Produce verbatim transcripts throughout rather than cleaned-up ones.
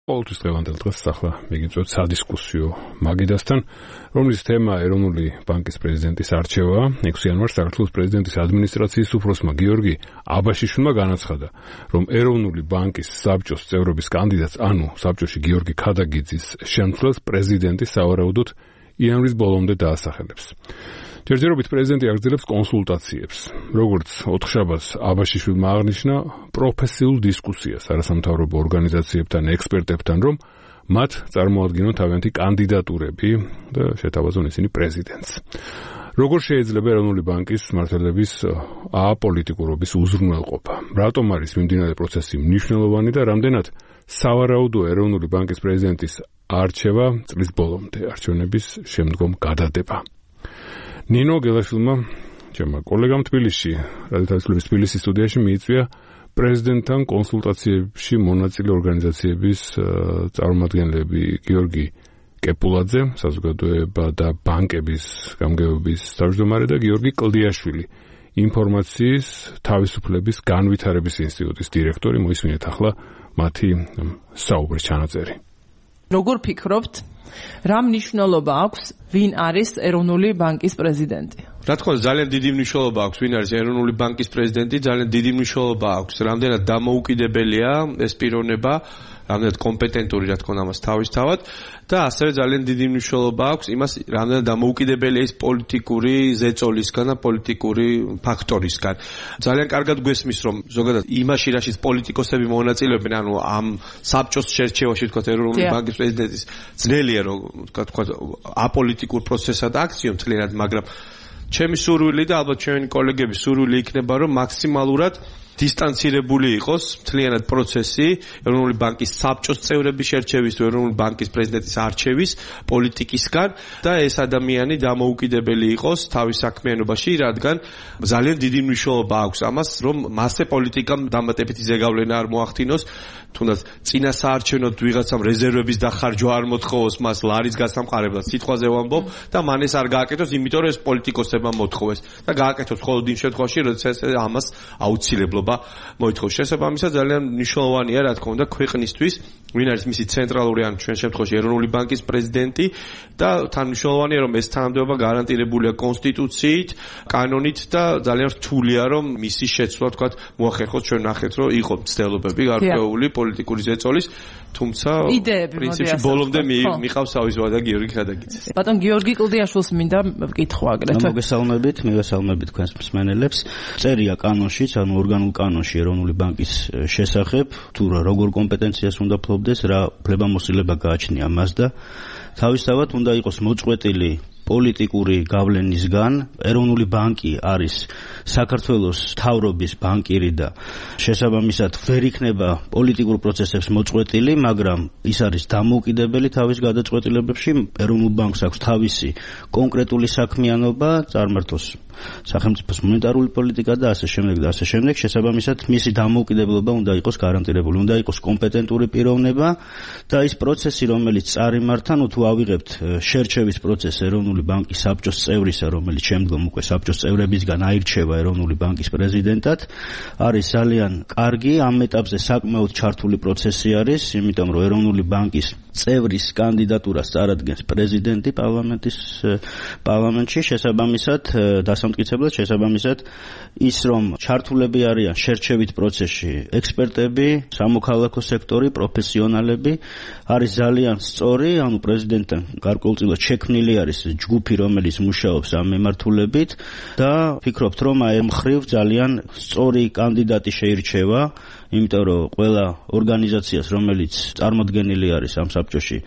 ყოველთვის დღევანდელ დღეს ახლა მიგიწევთ სადისკუსიო მაგიდასთან, რომლის თემა ეროვნული ბანკის პრეზიდენტის არჩევაა. ექვსი იანვარს საქართველოს პრეზიდენტის ადმინისტრაციის უფროსმა გიორგი აბაშიშვილმა განაცხადა, რომ ეროვნული ბანკის საბჭოს წევრობის კანდიდატს, ანუ საბჭოში გიორგი ქადაგიძის შემცვლელს პრეზიდენტი სავარაუდოდ იანვრის ბოლომდე დაასახელებს. ჯერჯერობით პრეზიდენტი აგრძელებს კონსულტაციებს. როგორც ოთხშაბათს აბაშიშვილმა აღნიშნა პროფესიულ დისკუსიას არასამთავრობო ორგანიზაციებთან, ექსპერტებთან, რომ მათ წარმოადგინონ თავიანთი კანდიდატურები და შეთავაზონ ისინი პრეზიდენტს. როგორ შეიძლება ეროვნული ბანკის მმართველების აპოლიტიკურობის უზრუნველყოფა? რატომ არის მიმდინარე პროცესი მნიშვნელოვანი და რამდენად სავარაუდოა ეროვნული ბანკის პრეზიდენტის არჩევა წლის ბოლომდე არჩევნების შემდგომ გადადება? ნინო გელაშვილმა, ჩემმა კოლეგამ თბილისში, რადიოთავისუფლების თბილისის სტუდიაში მიიწვია პრეზიდენტთან კონსულტაციებში მონაწილე ორგანიზაციების წარმომადგენლები გიორგი კეპულაძე, საზოგადოება და ბანკების გამგეობის თავმჯდომარე და გიორგი კლდიაშვილი, ინფორმაციის თავისუფლების განვითარების ინსტიტუტის დირექტორი. მოისმინეთ ახლა მათი საუბრის ჩანაწერი. როგორ ფიქრობთ, რა მნიშვნელობა აქვს ვინ არის ეროვნული ბანკის პრეზიდენტი? რა თქმა უნდა, ძალიან დიდი მნიშვნელობა აქვს ვინ არის ეროვნული ბანკის პრეზიდენტი, ძალიან დიდი მნიშვნელობა აქვს რამდენად დამოუკიდებელია ეს პიროვნება, რამდენად კომპეტენტური, რა თქმა უნდა, ამას თავისთავად და ასევე ძალიან დიდი მნიშვნელობა აქვს იმას, რამდენად დამოუკიდებელია ის პოლიტიკური ზეწოლისგან და პოლიტიკური ფაქტორისგან. ძალიან კარგად გვესმის, რომ ზოგადად იმაში, რაშიც პოლიტიკოსები მონაწილეობენ, ანუ ამ საბჭოს შერჩევაში, თქვა ეროვნული ბანკის პრეზიდენტის ძნელია, რომ თქვა აპოლიტიკურ პროცესად აქციო მთლიანად, მაგრამ ჩემი სურვილი და ალბათ ჩემი კოლეგების სურვილი იქნება, რომ მაქსიმალურად დისტანცირებული იყოს მთლიანად პროცესი ეროვნული ბანკის საბჭოს წევრების შერჩევის თუ ეროვნული ბანკის პრეზიდენტის არჩევის პოლიტიკისგან და ეს ადამიანი დამოუკიდებელი იყოს თავის საქმიანობაში, რადგან ძალიან დიდი მნიშვნელობა აქვს ამას, რომ მასზე პოლიტიკამ დამატებითი ზეგავლენა არ მოახდინოს, თუნდაც წინა საარჩევნოდ ვიღაცამ რეზერვების დახარჯვა არ მოთხოვოს მას ლარის გასამყარებლად, სიტყვაზე ვამბობ და მან ეს არ გააკეთოს, იმიტომ რომ ეს პოლიტიკოსებმა მოთხოვეს და გააკეთოს მხოლოდ იმ შემთხვევაში, როდესაც ამას აუცილებლობა მოითხოვს. შესაბამისად ძალიან მნიშვნელოვანია, რა თქმა უნდა, ქვეყნისთვის, ვინ არის მისი ცენტრალური ან ჩვენ შემთხვევაში ეროვნული ბანკის პრეზიდენტი და თან მნიშვნელოვანია, რომ ეს თანამდებობა გარანტირებულია კონსტიტუციით, კანონით და ძალიან რთულია, რომ მისი შეცვლა, თქვა, მოახერხოს. ჩვენ ნახეთ, რომ იყო მცდელობები გარკვეული პოლიტიკური ზეწოლის, თუმცა პრინციპში ბოლომდე მიყავს თავის ვადა გიორგი ქადაგიძეს. ბატონ გიორგი კლდიაშვილს მინდა ვკითხო აგრეთვე. მოგესალმებით, მივესალმებით თქვენს მსმენელებს. წერია კანონშიც, ანუ ორგანულ კანონში ეროვნული ბანკის შესახებ, თუ როგორ კომპეტენციას უნდა ფლობდეს, რა უფლებამოსილება გააჩნია მას და თავისთავად უნდა იყოს მოწყვეტილი პოლიტიკური გავლენისგან. ეროვნული ბანკი არის საქართველოს მთავრობის ბანკირი და შესაბამისად ვერ იქნება პოლიტიკურ პროცესებს მოწყვეტილი, მაგრამ ის არის დამოუკიდებელი თავის გადაწყვეტილებებში. ეროვნულ ბანკს აქვს თავისი კონკრეტული საქმიანობა, წარმართოს სახელმწიფოს მონეტარული პოლიტიკა და ასე შემდეგ და ასე შემდეგ. შესაბამისად მისი დამოუკიდებლობა უნდა იყოს გარანტირებული, უნდა იყოს კომპეტენტური პიროვნება და ის პროცესი, რომელიც წარიმართა, ნუ თუ ავიღებთ შერჩევის პროცესს ეროვნული ბანკის საბჭოს წევრისა, რომელიც შემდგომ უკვე საბჭოს წევრებისგან აირჩევა ეროვნული ბანკის პრეზიდენტად, არის ძალიან კარგი. ამ ეტაპზე საკმაოდ ჩართული პროცესი არის, იმიტომ რომ ეროვნული ბანკის წევრის კანდიდატურას წარადგენს პრეზიდენტი პარლამენტის პარლამენტში. შესაბამისად დასამტკიცებლად შესაბამისად ის, რომ ჩართულები არიან შერჩევით პროცესში ექსპერტები, სამოქალაქო სექტორი, პროფესიონალები, არის ძალიან სწორი, ანუ პრეზიდენტთან გარკვეულწილად შექმნილი არის ჯგუფი, რომელიც მუშაობს ამ მიმართულებით და ფიქრობთ, რომ აი მხრივ ძალიან სწორი კანდიდატი შეირჩევა, იმიტომ რომ ყველა ორგანიზაციას, რომელიც წარმოდგენილი არის ამ საბჭოში,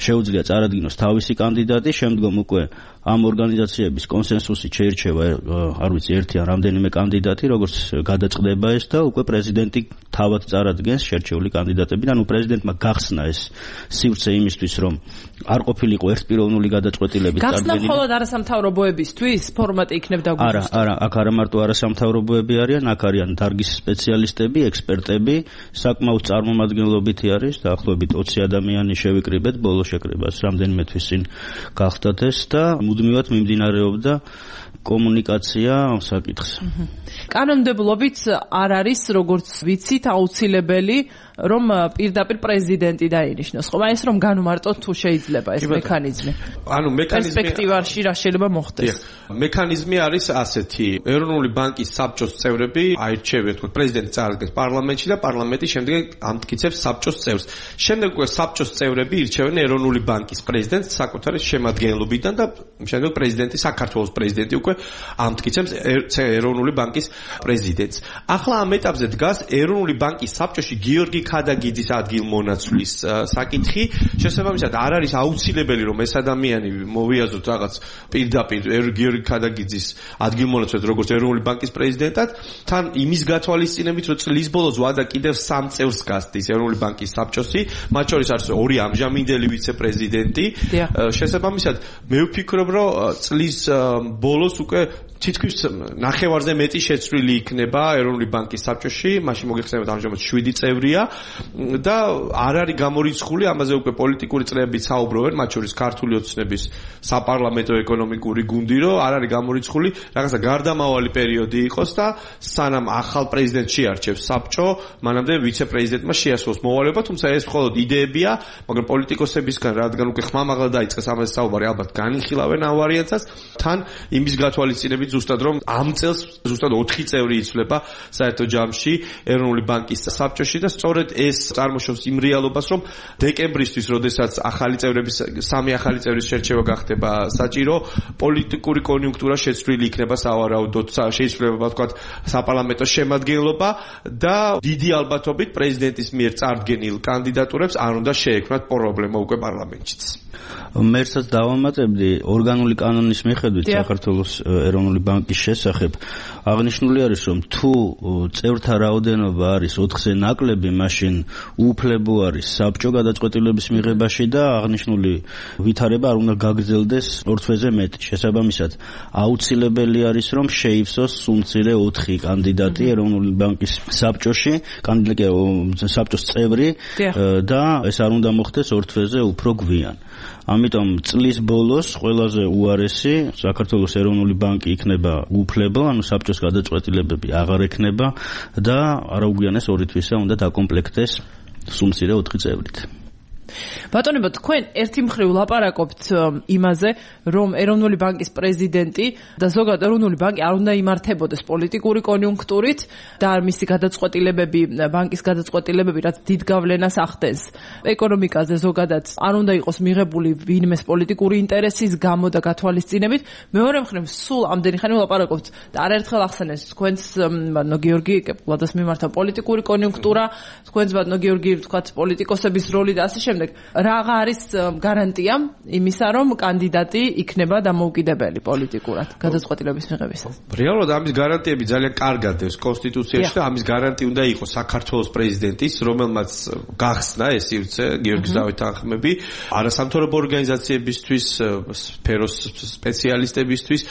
შეუძლია წარადგინოს თავისი კანდიდატი, შემდგომ უკვე ამ ორგანიზაციების კონსენსუსით შეირჩევა, არ ვიცი, ერთი ან რამდენიმე კანდიდატი, როგორც გადაწყდება ეს და უკვე პრეზიდენტი თავად წარადგენს შერჩეული კანდიდატები. ანუ პრეზიდენტმა გახსნა ეს სივრცე იმისთვის, რომ არ ყოფილიყო ერთპიროვნული გადაწყვეტილების წარდგენა. გახსნა მხოლოდ არასამთავრობოებისთვის ფორმატი იქნებ დაგვიწყოს. არა, არა, აქ არა მარტო არასამთავრობოები არიან, აქ არიან დარგის სპეციალისტები, ექსპერტები ექსპერტები, საკმაოდ წარმომადგენლობითი არის, დაახლოებით ოცი ადამიანი შევიკრიბეთ ბოლო შეკრებას, რამდენიმე თვის წინ გახდათ ეს და მუდმივად მიმდინარეობდა კომუნიკაცია ამ საკითხზე. კანონმდებლობით არ არის, როგორც ვიცით, აუცილებელი რომ პირდაპირ პრეზიდენტი დაინიშნოს. ხო, ეს რომ განმარტოთ თუ შეიძლება ეს მექანიზმი. ანუ მექანიზმი პერსპექტივაში რა შეიძლება მოხდეს? მექანიზმი არის ასეთი. ეროვნული ბანკის საბჭოს წევრები აირჩევიან, თქო, პრეზიდენტი წარადგენს პარლამენტში და პარლამენტი შემდეგ ამტკიცებს საბჭოს წევრს. შემდეგ უკვე საბჭოს წევრები ირჩევენ ეროვნული ბანკის პრეზიდენტს საკუთარი შემადგენლობიდან და შემდეგ პრეზიდენტი, საქართველოს პრეზიდენტი უკვე ამტკიცებს ეროვნული ბანკის პრეზიდენტს. ახლა ამ ეტაპზე დგას ეროვნული ბანკის საბჭოში გიორგი ქადაგიძის ადგილმონაცვლის საკითხი. შესაბამისად არ არის აუცილებელი რომ ეს ადამიანი მოვიაზოთ რაღაც პირდაპირ გიორგი ქადაგიძის ადგილმონაცვლად როგორც ეროვნული ბანკის პრეზიდენტად, თან იმის გათვალისწინებით რომ წლის ბოლოს ვადა კიდევ სამ წევრს გასდის ეროვნული ბანკის საბჭოში, მათ შორის არის ორი ამჟამინდელი ვიცე-პრეზიდენტი. შესაბამისად მე ვფიქრობ რომ წლის ბოლოს უკვე თითქმის ნახევარზე მეტი შეცვლილი იქნება ეროვნული ბანკის საბჭოში, მაშინ მოგეხსენებათ ამჟამად შვიდი წევრია და არ არის გამორიცხული, ამაზე უკვე პოლიტიკური წრეები საუბრობენ, მათ შორის ქართული ოცნების საპარლამენტო ეკონომიკური გუნდი, რომ არ არის გამორიცხული, რაღაცა გარდამავალი პერიოდი იყოს და სანამ ახალ პრეზიდენტს შეარჩევს საბჭო, მანამდე ვიცე-პრეზიდენტმა შეასრულოს მოვალეობა, თუმცა ეს მხოლოდ იდეებია, მაგრამ პოლიტიკოსებისგან, რადგან უკვე ხმამაღლა დაიწყეს ამაზე საუბარი, ალბათ განიხილავენ ამ ვარიანტსაც, თან იმის გათვალისწინებით ზუსტად რომ ამ წელს ზუსტად ოთხი წევრი იცვლება საერთო ჯამში ეროვნული ბანკის საბჭოში და სწორედ ეს წარმოშობს იმ რეალობას, რომ დეკემბრისთვის, როდესაც ახალი წევრების სამი ახალი წევრის შერჩევა გახდება საჭირო, პოლიტიკური კონიუნქტურა შეცვლილი იქნება სავარაუდოდ, შეიძლება ვთქვათ საპარლამენტო შემადგენლობა და დიდი ალბათობით პრეზიდენტის მიერ წარდგენილ კანდიდატურებს არ უნდა შეექმნათ პრობლემა უკვე პარლამენტშიც. მერცაც დავამატებდი ორგანული კანონის მიხედვით საქართველოს ეროვნული ბანკის შესახებ აღნიშნული არის, რომ თუ წევრთა რაოდენობა არის ოთხზე ნაკლები, მაშინ უუფლებო არის საბჭო გადაწყვეტილების მიღებაში და აღნიშნული ვითარება არ უნდა გაგრძელდეს ორ თვეზე მეტი. შესაბამისად, აუცილებელი არის, რომ შეივსოს სულ-მცირე ოთხი კანდიდატი ეროვნული ბანკის საბჭოში, კანდიდატი საბჭოს წევრი და ეს არ უნდა მოხდეს ორ თვეზე უფრო გვიან. ამიტომ წლის ბოლოს ყველაზე უარესი საქართველოს ეროვნული ბანკი იქნება უუფლებო, ანუ საბჭოს გადაწყვეტილებები აღარ ექნება და არაუგვიანეს ორი თვისა უნდა დაკომპლექტდეს სულ-მცირე ოთხი წევრით. ბატონებო, თქვენ ერთი მხრივ ლაპარაკობთ იმაზე, რომ ეროვნული ბანკის პრეზიდენტი და ზოგადად ეროვნული ბანკი არ უნდა იმართებოდეს პოლიტიკური კონიუნქტურით და მისი გადაწყვეტილებები, ბანკის გადაწყვეტილებები, რაც დიდ გავლენას ახდენს ეკონომიკაზე ზოგადად, არ უნდა იყოს მიღებული ვინმეს პოლიტიკური ინტერესის გამო და გათვალისწინებით. მეორე მხრივ, სულ ამდენი ხანი ვლაპარაკობთ და არაერთხელ ახსენეს თქვენს ბატონო გიორგი კეპლადას მიმართა პოლიტიკური კონიუნქტურა, თქვენს ბატონო გიორგი თქვათ პოლიტიკოსების როლი და ასე შემდეგ. რაღა არის გარანტია იმისა, რომ კანდიდატი იქნება დამოუკიდებელი პოლიტიკურად გადაწყვეტილების მიღებისას? რეალურად ამის გარანტიები ძალიან კარგად დევს კონსტიტუციაში და ამის გარანტი უნდა იყოს საქართველოს პრეზიდენტის, რომელმაც გახსნა ეს სივრცე გიორგი დავითანხმები, არასამთავრობო ორგანიზაციებისთვის, სფეროს სპეციალისტებისთვის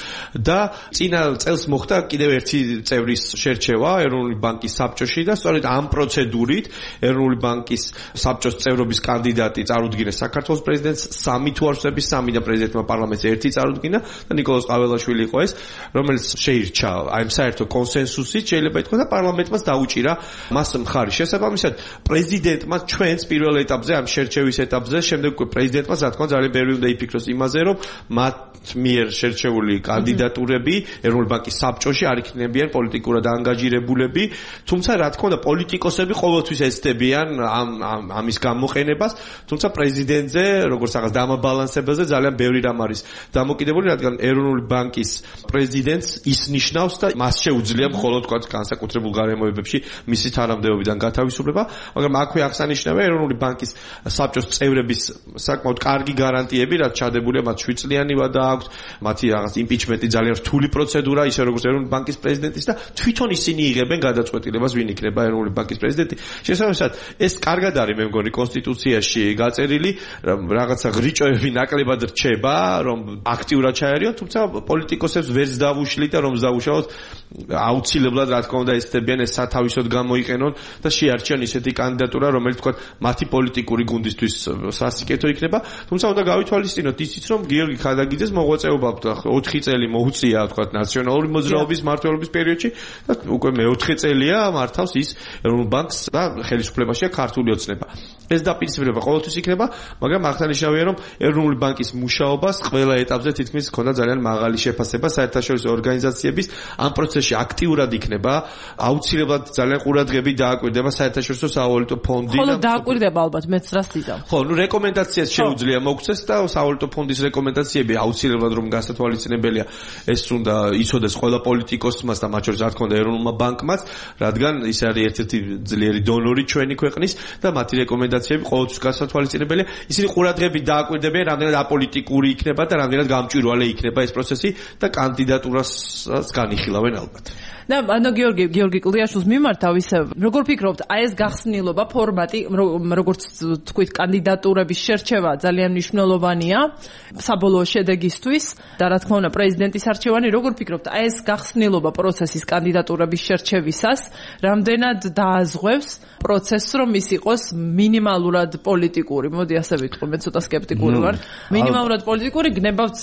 და წინა წელს მოხდა კიდევ ერთი წევრის შერჩევა ეროვნული ბანკის საბჭოში და სწორედ ამ პროცედურით ეროვნული ბანკის საბჭოს წევრობის კანდიდატი წარუდგინეს საქართველოს პრეზიდენტს, სამი თუ არ ვსების, სამი და პრეზიდენტმა პარლამენტს ერთი წარუდგინა და ნიკოლოზ ყაველაშვილი იყო ეს, რომელიც შეირჩა აი საერთო კონსენსუსით, შეიძლება ითქვას და პარლამენტმაც დაუჭირა მას მხარი. შესაბამისად, პრეზიდენტმა ჩვენს პირველ ეტაპზე, ამ შერჩევის ეტაპზე, შემდეგ უკვე პრეზიდენტმა რა თქმა უნდა ძალიან ბევრი უნდა იფიქროს იმაზე, რომ მათ მიერ შერჩეული კანდიდატურები ეროვნული ბანკის საბჭოში არ იქნებიან პოლიტიკურად ანგაჟირებულები, თუმცა რა თქმა უნდა პოლიტიკოსები ყოველთვის ეცდებიან ამ ამის გამოყენებას, თუმცა პრეზიდენტზე, როგორც რაღაც დამაბალანსებაზე ძალიან ბევრი რამ არის დამოკიდებული, რადგან ეროვნული ბანკის პრეზიდენტს ის ნიშნავს და მას შეუძლია მხოლოდ თქვა განსაკუთრებულ გარემოებებში მისი თანამდებობიდან გათავისუფლება, მაგრამ აქვე აღსანიშნავია ეროვნული ბანკის საბჭოს წევრების საკმაოდ კარგი გარანტიები, რაც ჩადებულია მათ შვიდ წლიანი ვადა აქვს, მათი რაღაც იმპიჩმენტი ძალიან რთული პროცედურა, ისე როგორც ეროვნული ბანკის პრეზიდენტის და თვითონ ისინი იღებენ გადაწყვეტილებას, ვინ იქნება ეროვნული ბანკის პრეზიდენტი. შესაბამისად, ეს კარგად არის მე მგონი კონსტიტუციაში პროცესში გაწერილი რაღაცა ღრიჭოები ნაკლებად რჩება, რომ აქტიურად ჩაერიონ, თუმცა პოლიტიკოსებს ვერც დავუშლით და რომ დავუშავოთ აუცილებლად რა თქმა უნდა ესწრებიან ეს სათავისოდ გამოიყენონ და შეარჩიონ ისეთი კანდიდატურა, რომელიც თქვა მათი პოლიტიკური გუნდისთვის სასიკეთო იქნება, თუმცა უნდა გავითვალისწინოთ ისიც, რომ გიორგი ხადაგიძეს მოღვაწეობა ოთხი წელი მოუწია თქვა ნაციონალური მოძრაობის მმართველობის პერიოდში და უკვე მეოთხე წელია მართავს ის ეროვნულ ბანკს და ხელისუფლებაშია ქართული ოცნება. ეს დაპირისპირება ყოველთვის იქნება, მაგრამ აღსანიშნავია, რომ ეროვნული ბანკის მუშაობას ყველა ეტაპზე თითქმის ჰქონდა ძალიან მაღალი შეფასება საერთაშორისო ორგანიზაციების ამ პროცესში აქტიურად იქნება, აუცილებლად ძალიან ყურადღებით დააკვირდება საერთაშორისო სავალუტო ფონდი და ხოლო დააკვირდება ალბათ მეც რას იზამ. ხო, ნუ რეკომენდაციას შეუძლია მოგცეს და სავალუტო ფონდის რეკომენდაციები აუცილებლად რომ გასათვალისწინებელია ეს უნდა იცოდეს ყველა პოლიტიკოსმაც და მათ შორის რა თქმა უნდა ეროვნულმა ბანკმაც, რადგან ის არის ერთ-ერთი ძლიერი დონორი ჩვენი ქვეყნის და მათი რეკომენდაციები ყოველთვის გასათვალისწინებელია. ისინი ყურადღებით დააკვირდებიან, რამდენად აპოლიტიკური იქნება და რამდენად გამჭვირვალე იქნება ეს პროცესი და კანდიდატურასაც განიხილავენ ალბათ. და ანუ გიორგი გიორგი კლდიაშვილს მიმართავ ისე როგორ ფიქრობთ აი ეს გახსნილობა ფორმატი როგორც თქვით კანდიდატურების შერჩევა ძალიან მნიშვნელოვანია საბოლოო შედეგისთვის და რა თქმა უნდა პრეზიდენტის არჩევანი როგორ ფიქრობთ აი ეს გახსნილობა პროცესის კანდიდატურების შერჩევისას რამდენად დააზღვევს პროცესს რომ ის იყოს მინიმალურად პოლიტიკური მოდი ასე ვიტყვი მე ცოტა სკეპტიკური ვარ მინიმალურად პოლიტიკური გნებავთ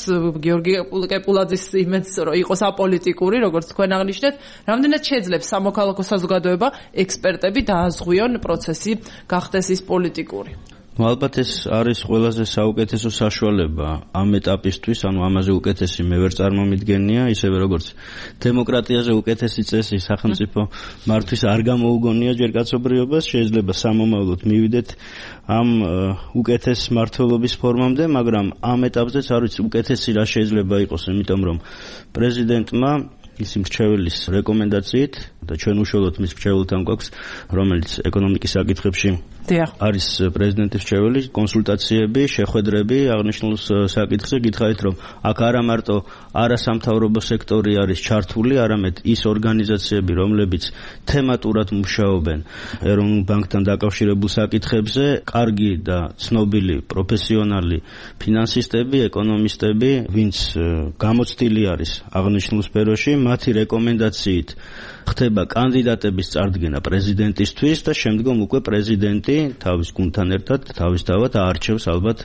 გიორგი კეპულაძის იმედს რომ იყოს აპოლიტიკური როგორც თქვენ აღნიშნეთ რამდენად შეძლებს სამოქალაქო საზოგადოება ექსპერტები დააზღვიონ პროცესი გახდეს ის პოლიტიკური. ალბათ ეს არის ყველაზე საუკეთესო საშუალება ამ ეტაპისთვის, ანუ ამაზე უკეთესი მე ვერ წარმომიდგენია, ისევე როგორც დემოკრატიაზე უკეთესი წესი სახელმწიფო მართვის არ გამოუგონია ჯერ კაცობრიობას, შეიძლება სამომავლოდ მივიდეთ ამ უკეთეს მმართველობის ფორმამდე, მაგრამ ამ ეტაპზეც არ ვიცი უკეთესი რა შეიძლება იყოს, იმიტომ რომ პრეზიდენტმა ის მრჩეველის რეკომენდაციით და ჩვენ უშუალოდ მის მრჩეველთან გვაქვს, რომელიც ეკონომიკის საკითხებში არის პრეზიდენტის მრჩეველი, კონსულტაციები, შეხვედრები აღნიშნულ საკითხზე გითხარით, რომ აქ არა მარტო არასამთავრობო სექტორი არის ჩართული, არამედ ის ორგანიზაციები, რომლებიც თემატურად მუშაობენ ეროვნულ ბანკთან დაკავშირებულ საკითხებზე, კარგი და ცნობილი პროფესიონალი ფინანსისტები, ეკონომისტები, ვინც გამოცდილი არის აღნიშნულ სფეროში, მათი რეკომენდაციით ხდება კანდიდატების წარდგენა პრეზიდენტისთვის და შემდგომ უკვე პრეზიდენტი თავის გუნდთან ერთად თავისთავად აარჩევს ალბათ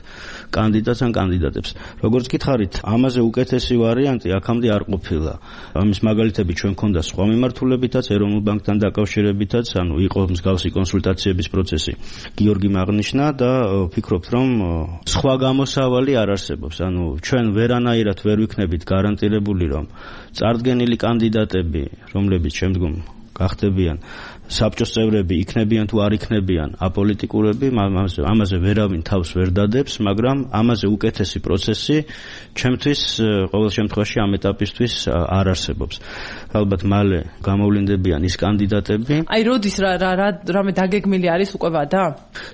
კანდიდატს ან კანდიდატებს. როგორც გითხარით, ამაზე უკეთესი ვარიანტი აქამდე არ ყოფილა. ამის მაგალითები ჩვენ გქონდა სხვა მიმართულებითაც, ეროვნულ ბანკთან დაკავშირებითაც, ანუ იყო მსგავსი კონსულტაციების პროცესი. გიორგი აღნიშნა და ვფიქრობთ, რომ სხვა გამოსავალი არ არსებობს. ანუ ჩვენ ვერანაირად ვერ ვიქნებით გარანტირებული, რომ წარდგენილი კანდიდატები, რომლებიც შემდგომ გახდებიან საბჭოს წევრები, იქნებიან თუ არ იქნებიან აპოლიტიკურები, ამაზე ვერავინ თავს ვერ დადებს, მაგრამ ამაზე უკეთესი პროცესი ჩემთვის ყოველ შემთხვევაში ამ ეტაპისთვის არ არსებობს. ალბათ მალე გამოვლინდებიან ის კანდიდატები. აი როდის რა რა რამე დაგეგმილი არის უკვე ვადა?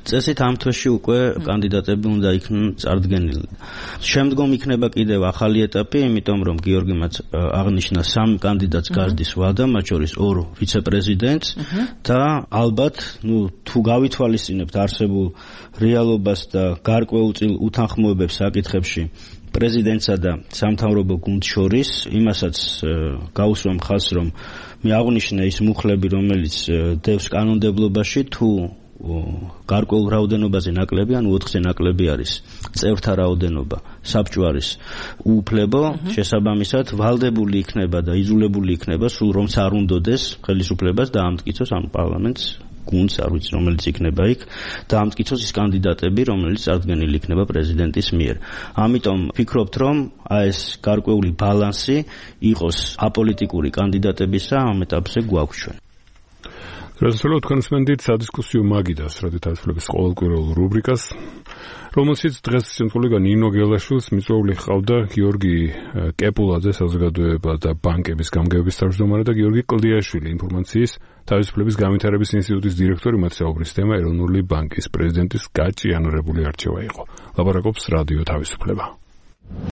წესით ამ თვეში უკვე კანდიდატები უნდა იქნან წარდგენილი. შემდგომ იქნება კიდევ ახალი ეტაპი, იმიტომ რომ გიორგი მას აღნიშნა სამ კანდიდატს გაზრდის ვადა, მათ შორის ორ ვიცე-პრეზიდენტს და ალბათ, ნუ თუ გავითვალისწინებთ არსებულ რეალობას და გარკვეულწილ უთანხმოებებს საკითხებში პრეზიდენტსა და სამთავრობო გუნდს შორის, იმასაც გაუსვამ ხაზს, რომ მე აღვნიშნე ის მუხლები, რომელიც დევს კანონმდებლობაში, თუ გარკვეულ რაოდენობაზე ნაკლები, ანუ ოთხზე ნაკლები არის წევრთა რაოდენობა, საბჭო არის უუფლებო, შესაბამისად ვალდებული იქნება და იძულებული იქნება სულ რომც არ უნდოდეს ხელისუფლებას და ამტკიცოს ანუ პარლამენტს გუნდს არ ვიცი რომელიც იქნება იქ და ამტკიცოს ის კანდიდატები რომელიც წარდგენილი იქნება პრეზიდენტის მიერ. ამიტომ ვფიქრობთ რომ აი ეს გარკვეული ბალანსი იყოს აპოლიტიკური კანდიდატებისა ამ ეტაპზე გვაქვს ჩვენ. Răspunsul consmentit სადისკუსიო მაგიდას, რადგან თავისუფლების ყოველკვირეულ რუბრიკას, რომელშიც დღეს შემთხვევით ნინო გელაშვილს მიწვეული ჰყავდა გიორგი კეპულაძე საზოგადოება და ბანკების გამგეობის თავმჯდომარე და გიორგი კლდიაშვილი ინფორმაციის თავისუფლების განვითარების ინსტიტუტის დირექტორი, მათ საუბრის თემა ეროვნული ბანკის პრეზიდენტის გაჭიანურებული არჩევა იყო. ლაპარაკობს რადიო თავისუფლება.